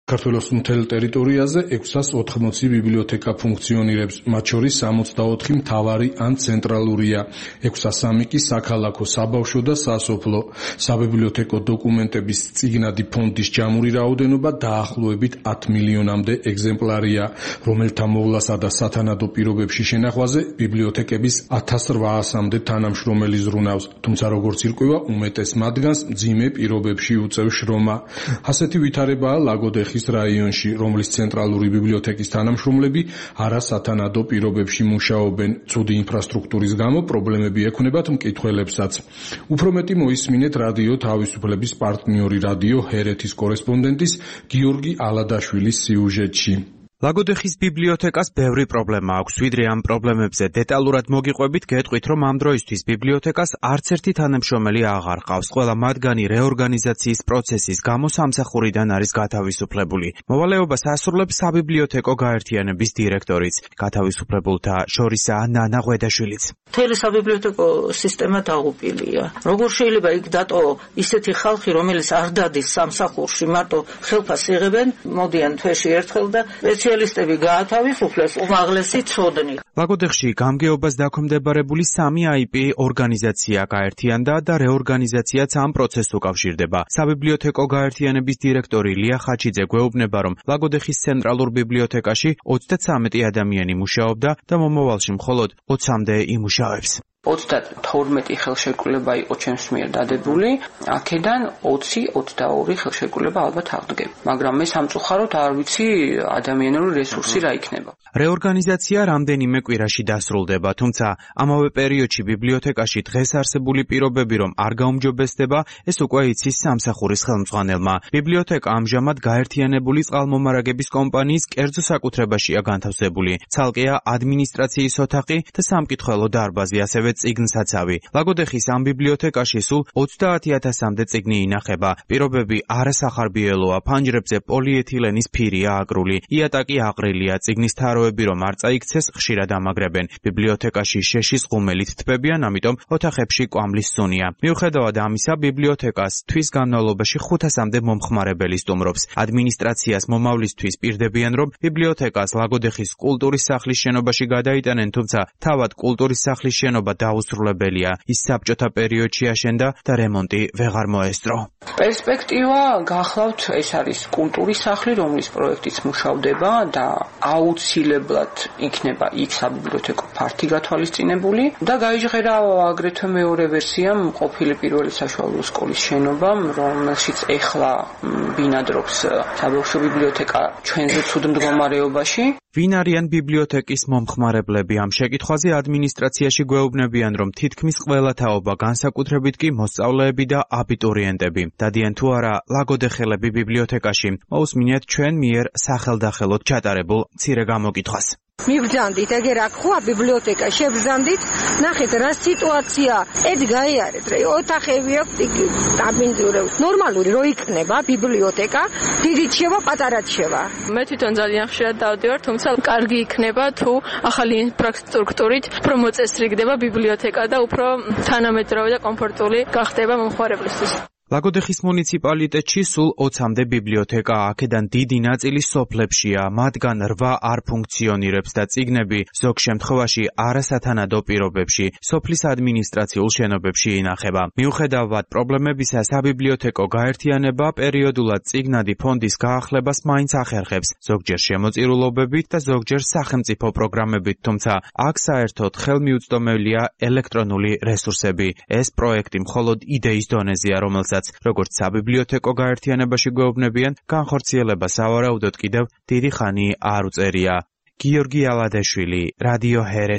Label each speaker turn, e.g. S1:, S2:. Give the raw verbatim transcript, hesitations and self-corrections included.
S1: საქართველოს მთელ ტერიტორიაზე ექვსას ოთხმოცი ბიბლიოთეკა ფუნქციონირებს, მათ შორის სამოცდაოთხი მთავარი ან ცენტრალურია, ექვსასამი კი საქალაქო, საბავშვო და სასოფლო. საბიბლიოთეკო დოკუმენტების წიგნადი ფონდის ჯამური რაოდენობა დაახლოებით ათ მილიონამდე ეგზემპლარია, რომელთა მოვლასა და სათანადო პირობებში შენახვაზე ბიბლიოთეკების ათას რვაასამდე თანამშრომელი ზრუნავს, თუმცა როგორც ირკვევა, უმეტეს მათგანს მძიმე პირობებში უწევს შრომა. ასეთი ვითარებაა ლაგოდეხის რაიონში, რომლის ცენტრალური ბიბლიოთეკის თანამშრომლები არასათანადო პირობებში მუშაობენ. ცუდი ინფრასტრუქტურის გამო პრობლემები ექნებათ მკითხველებსაც. უფრო მეტი მოისმინეთ რადიო თავისუფლების პარტნიორი რადიო ჰერეთის კორესპონდენტის გიორგი ალადაშვილის სიუჟეტში.
S2: ლაგოდეხის ბიბლიოთეკას ბევრი პრობლემა აქვს, ვიდრე ამ პრობლემებზე დეტალურად მოგიყვებით, გეტყვით, რომ ამ დროისთვის ბიბლიოთეკას არც ერთი თანამშრომელი აღარ ყავს. ყველა მათგანი რეორგანიზაციის პროცესის გამო სამსახურიდან არის გათავისუფლებული. მოვალეობას ასრულებს საბიბლიოთეკო გაერთიანების დირექტორიც, გათავისუფლებულთა შორისაა ნანა ღვედაშვილიც.
S3: მთელი საბიბლიოთეკო სისტემა დაღუპილია. როგორ შეიძლება იქ დატოვო ისეთი ხალხი, რომელიც არ დადის სამსახურში, მარტო ხელფასს იღებენ, მოდიან თვეში ერთხელ და სპეციალისტები გაათავისუფლეს უმაღლესი ცოდნი.
S2: ლაგოდეხში გამგეობას დაქვემდებარებული სამი აი პი ორგანიზაცია გაერთიანდა და რეორგანიზაციაც ამ პროცესს უკავშირდება. საბიბლიოთეკო გაერთიანების დირექტორი ლია ხაჩიძე გვეუბნება, რომ ლაგოდეხის ცენტრალურ ბიბლიოთეკაში ოცდათვრამეტი ადამიანი მუშაობდა და მომავალში მხოლოდ ოცამდე იმუშავებს.
S4: ოცდათორმეტი ხელშეკრულება იყო ჩემს მიერ დადებული, აქედან ოცი ოცდაორი ხელშეკრულება ალბათ აღდგება. მაგრამ მე სამწუხაროდ არ ვიცი ადამიანური რესურსი რა იქნება.
S2: რეორგანიზაცია რამდენიმე კვირაში დასრულდება, თუმცა ამავე პერიოდში ბიბლიოთეკაში დღეს არსებული პირობები რომ არ გაუმჯობესდება, ეს უკვე იცის სამსახურის ხელმძღვანელმა. ბიბლიოთეკა ამჟამად გაერთიანებული წყალმომარაგების კომპანიის კერძო საკუთრებაშია განთავსებული. ცალკეა ადმინისტრაციის ოთახი და სამკითხველო დარბაზი, ასევე წიგნსაცავი. ლაგოდეხის ამ ბიბლიოთეკაში სულ ოცდაათი ათასამდე წიგნი ინახება. პირობები არასახარბიელოა, ფანჯრებზე პოლიეთილენის ფირია აკრული, იატაკი აყრილია, წიგნის თაროები რომ არ წაიქცეს, ხშირად ამაგრებენ. ბიბლიოთეკაში შეშის ღუმელით თბებიან, ამიტომ ოთახებში კვამლის სუნია. მიუხედავად ამისა, ბიბლიოთეკას თვის განმავლობაში ხუთასამდე მომხმარებელი სტუმრობს. ადმინისტრაციას მომავლისთვის პირდებიან, რომ ბიბლიოთეკას ლაგოდეხის კულტურის სახლის შენობაში გადაიტანენ, თუმცა თავად კულტურის სახლის შენობა დაუსრულებელია. ის საბჭოთა პერიოდში აშენდა და რემონტი ვეღარ მოესწრო.
S4: პერსპექტივა გახლავთ, ეს არის კულტურის სახლი, რომლის პროექტიც მუშავდება და აუცილებლად იქნება იქ საბიბლიოთეკო ფართი გათვალისწინებული და გაიჟღერა აგრეთვე მეორე ვერსიამ ყოფილი პირველი საშუალო სკოლის შენობა, რომელშიც ეხლა ბინადრობს საბავშვო ბიბლიოთეკა ჩვენზე ცუდ მდგომარეობაში.
S2: ვინ არიან ბიბლიოთეკის მომხმარებლები? ამ შეკითხვაზე ადმინისტრაციაში გვეუბნებიან, რომ თითქმის ყველა თაობა, განსაკუთრებით კი მოსწავლეები და აბიტურიენტები. დადიან თუ არა ლაგოდეხელები ბიბლიოთეკაში? მოусმინეთ ჩვენ მიერ სახელდახელოდ ჩატარებულ მცირე გამოკითხვას.
S5: მიბრძანდით, ეგერ აქ ხოა ბიბლიოთეკა, შებრძანდით, ნახეთ რა სიტუაცია, ედ გაიარეთ, რა ოთახები აქვს, დაბინძურებს. ნორმალური რო იქნება ბიბლიოთეკა, დიდიც შევა, პატარაც შევა.
S6: მე თვითონ ძალიან ხშირად დავდივარ, თუმცა კარგი იქნება თუ ახალი ინფრასტრუქტურით უფრო მოწესრიგდება ბიბლიოთეკა და უფრო თანამედროვე და კომფორტული გახდება მომხმარებლისთვის.
S2: ლაგოდეხის მუნიციპალიტეტში სულ ოცამდე ბიბლიოთეკაა, აქედან დიდი ნაწილი სოფლებშია, მათგან რვა არ ფუნქციონირებს და წიგნები ზოგ შემთხვევაში არასათანადო პირობებში, სოფლის ადმინისტრაციულ შენობებში ინახება. მიუხედავად პრობლემებისა, საბიბლიოთეკო გაერთიანება პერიოდულად წიგნადი ფონდის გაახლებას მაინც ახერხებს, ზოგჯერ შემოწირულობებით და ზოგჯერ სახელმწიფო პროგრამებით, თუმცა აქ საერთოდ ხელმიუწვდომელია ელექტრონული რესურსები. ეს პროექტი მხოლოდ იდეის დონეზეა, რომელსაც როგორც საბიბლიოთეკო გაერთიანებაში გვეუბნებიან, განხორციელება სავარაუდოდ კიდევ დიდი ხანი არ უწერია. გიორგი ალადაშვილი, რადიო ჰერეთი.